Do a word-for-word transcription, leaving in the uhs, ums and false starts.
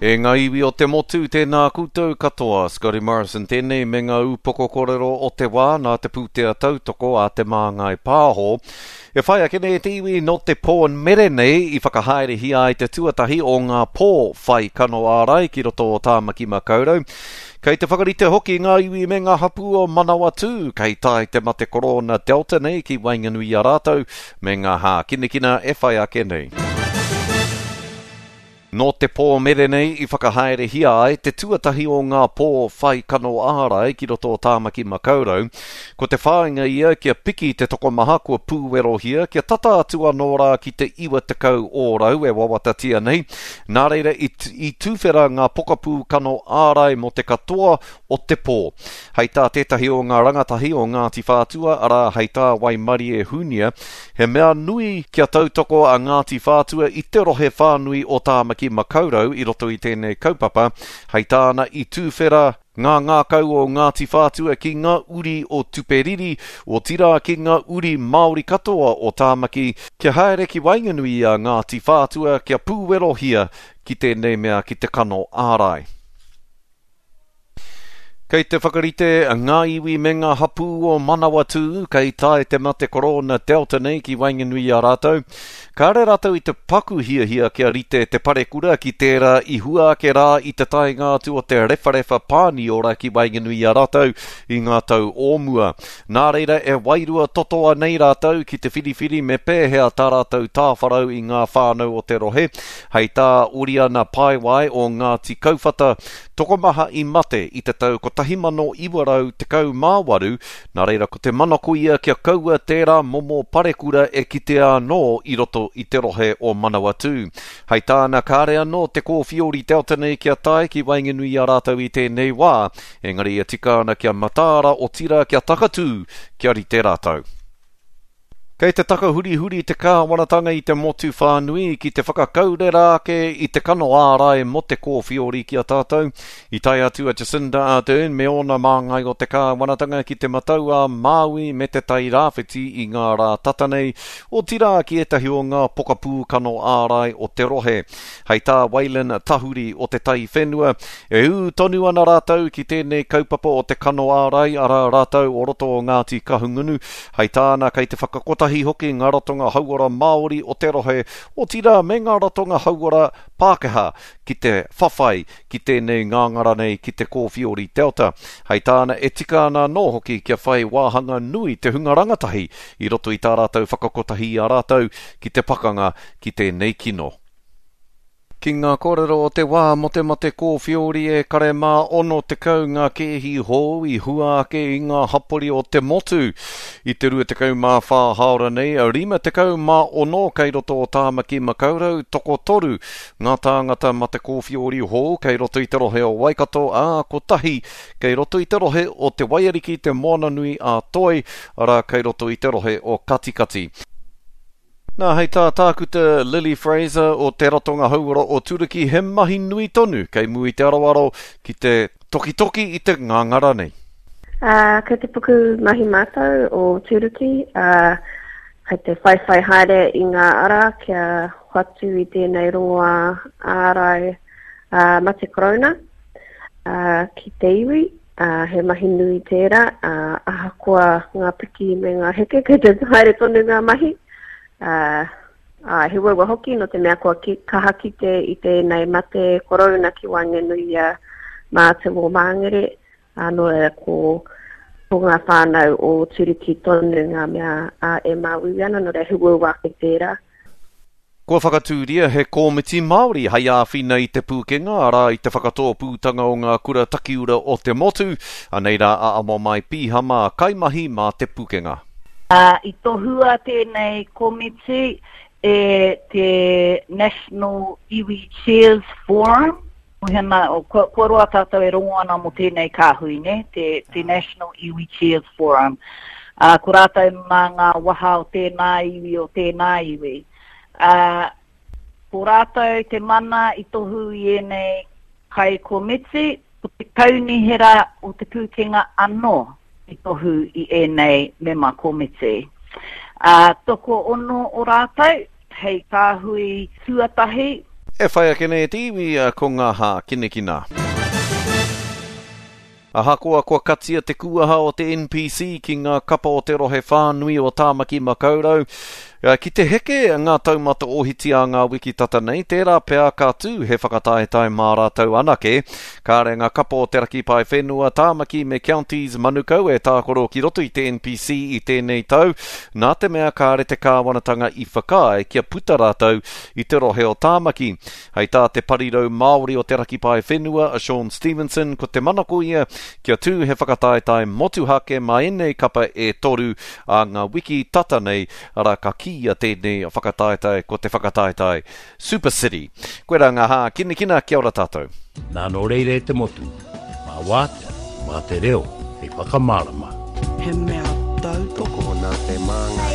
E ngā iwi o te motu, tēnā koutou katoa. Scotty Morrison tēnei me ngā upoko kōrero o te wā nā te pūtea tautoko a Te Māngai Pāho. E whai ake nei te iwi nō te pō mere nei i whakahaerehia ai te tuatahi o ngā pō whai kano ārai ki roto o Tāmaki Makaurau. Kei te whakarite hoki ngā iwi me ngā hapū o Manawatū, kei tae te mate korona Delta nei ki waenganui i a rātou me ngā hākinakina e whai ake nei. Nō te pō mere nei i whakahaerehia ai te tuatahi o ngā pō whai kano ārai ki roto o Tāmaki Makaurau. Ko te whāinga ia kia piki te tokomaha kua pūwerohia, kia tata atu anō rā ki te iwa tekau ōrau e wawatatia nei. Nā reira i, i tuwhera ngā pokapū kano ārai mō te katoa o te pō. Hei tā tētahi o ngā rangatahi o Ngāti Whātua, arā hei tā Waimarie Hunia, he mea nui kia tautoko a Ngāti Whātua i te rohe whānui o Tāmaki Makaurau i roto i tēnei kaupapa, hei tāna i tuwhera ngā ngākau o Ngāti Whātua ki ngā uri o Tuperiri, otirā ki ngā uri Māori katoa o Tāmaki, kia haere ki waenganui i a Ngāti Whātua kia pūwerohia ki tēnei mea ki te kano ārai. Kei te whakarite ngā iwi me ngā hapū o Manawatū, kei tae te mate korona Delta nei ki waenganui i a rātou. Kāre rātou i te paku hiahia kia rite te parekura ki tērā i hua ake rā i te taenga atu o te rewharewha Pāniora ki waenganui i a rātou i ngā tau o mua. Nā reira e wairua totoa nei rātou ki te whiriwhiri me pēhea tā rātou tāwharau i ngā whānau o te rohe. Hei tā Oriana Paewai o Ngāti Kauwhata, tokomaha i mate i te tau kotahi mano iwa rau tekau mā waru, nā reira ko te manako ia kia kaua tērā momo parekura e kitea anō i roto i te rohe o Manawatū. Hei tāna kāre anō te kōwhiori Delta nei kia tae ki waenganui i a rātou i tēnei wā, engari e tika ana kia mataara otirā kia takatū, kia rite rātou. Kei te takahurihuri te kāwanatanga i te motu whānui ki te whakakaurera ake i te kano ārai mō te kōwhiori ki a tātou. I tae atu a Jacinda Ardern me ōna māngai o te kāwanatanga ki te matau a Māui me te Tai Rāwhiti i ngā rā tata nei, otirā ki ētahi o ngā pokapū kano ārai o te rohe. Hei tā Waylon Tahuri o te Tai Whenua, e ū tonu ana rātou ki tēnei kaupapa o te kano ārai, arā rātou o roto o Ngāti Kahungunu. Hei tāna kei te whakakotahi hoki ngā ratonga hauora Māori o te rohe, otirā me ngā ratonga hauora Pākehā ki te whawhai ki tēnei ngāngara nei ki te kōwhiori Delta. Hei tāna e tika ana anō hoki kia whai wāhanga nui te hunga rangatahi i roto i tā rātou whakakotahi i a rātou ki te pakanga ki tēnei kino. Ki ngā kōrero o te wā mō te mate kōwhiori e kare mā ono tekau ngā kēhi hou i hua ake i ngā hapori o te motu. I te rua tekau mā whā hāora nei, rima tekau mā ono kei roto o Tāmaki Makaurau, tokotoru ngā tāngata mate kōwhiori hou kei roto i te rohe o Waikato, ā, kotahi kei roto i te rohe o Te Waiariki Te Moananui a Toi, arā kei roto i te rohe o Katikati. Nā, hei tā Tākuta Lily Fraser o Te Ratonga Hauora o Turuki, he mahi nui tonu kei mua i te aroaro ki te tokitoki i te ngāngara nei. Uh, kei te puku mahi mātou o Turuki, uh, kei te whaiwhai haere i ngā ara kia hoatu i tēnei rongoā ārai, uh, mate korona, uh, ki te iwi. Uh, he mahi nui tērā, uh, ahakoa ngā piki me ngā heke, kei te haere tonu ngā mahi. Uh, uh, he uaua hoki no te mea kua ki, kaha kite i tēnei mate korona ki waenganui i a mātou o Māngere, uh, nō reira ko, ko ngā whānau o Turuki tonu ngā mea, uh, e māuiui ana, nō reira he uaua ake tērā. Kua whakatūria he kōmiti Māori hei āwhina i te pūkenga, arā i te whakatōpūtanga o ngā kura takiura o te motu. Anei rā a Amomai Pīhama, kaimahi mā te pūkenga. Uh, i tohua tēnei komiti e te National Iwi Chairs Forum. Hena, kua, kua roa tātou e rongo ana mō tēnei kāhui, ne? Te, te National Iwi Chairs Forum. Uh, ko rātou mā ngā waha o tēnā iwi o tēnā iwi. Uh, ko rātou te mana i tohu i ēnei kai komiti, ko te kaunihera o te pūkenga anō i tohu i ēnei mema komiti. Uh, toko ono o rātou, hei kāhui tuatahi. E whai ake nei e te iwi ko ngā hākinakina. Ahakoa kua katia te kuaha o te N P C ki ngā kapa o te rohe whānui o Tāmaki Makaurau, ki te heke ngā taumata ohiti a ngā wiki tata nei, tērā pea ka tū he whakataetae mā rātou anake. Kāre ngā kapa o te Raki Paewhenua, Tāmaki me Counties Manukau e tākaro ki roto i te N P C i tēnei tau, nā te mea kāre te kāwanatanga i whakaae kia puta rātou i te rohe o Tāmaki. Hei tā te parirau Māori o te Raki Paewhenua, a Sean Stevenson, ko te manako ia kia tū he whakataetae motuhake mā ēnei kapa e toru a ngā wiki tata nei, arā ka kīia tēnei whakataetae ko te whakataetae Super City. Koirā ngā hākinakina, kia ora tātou. Nā nō reira e te motu, mā wātea, mā te reo, hei whakamārama. He mea tautoko Tokona te māngai.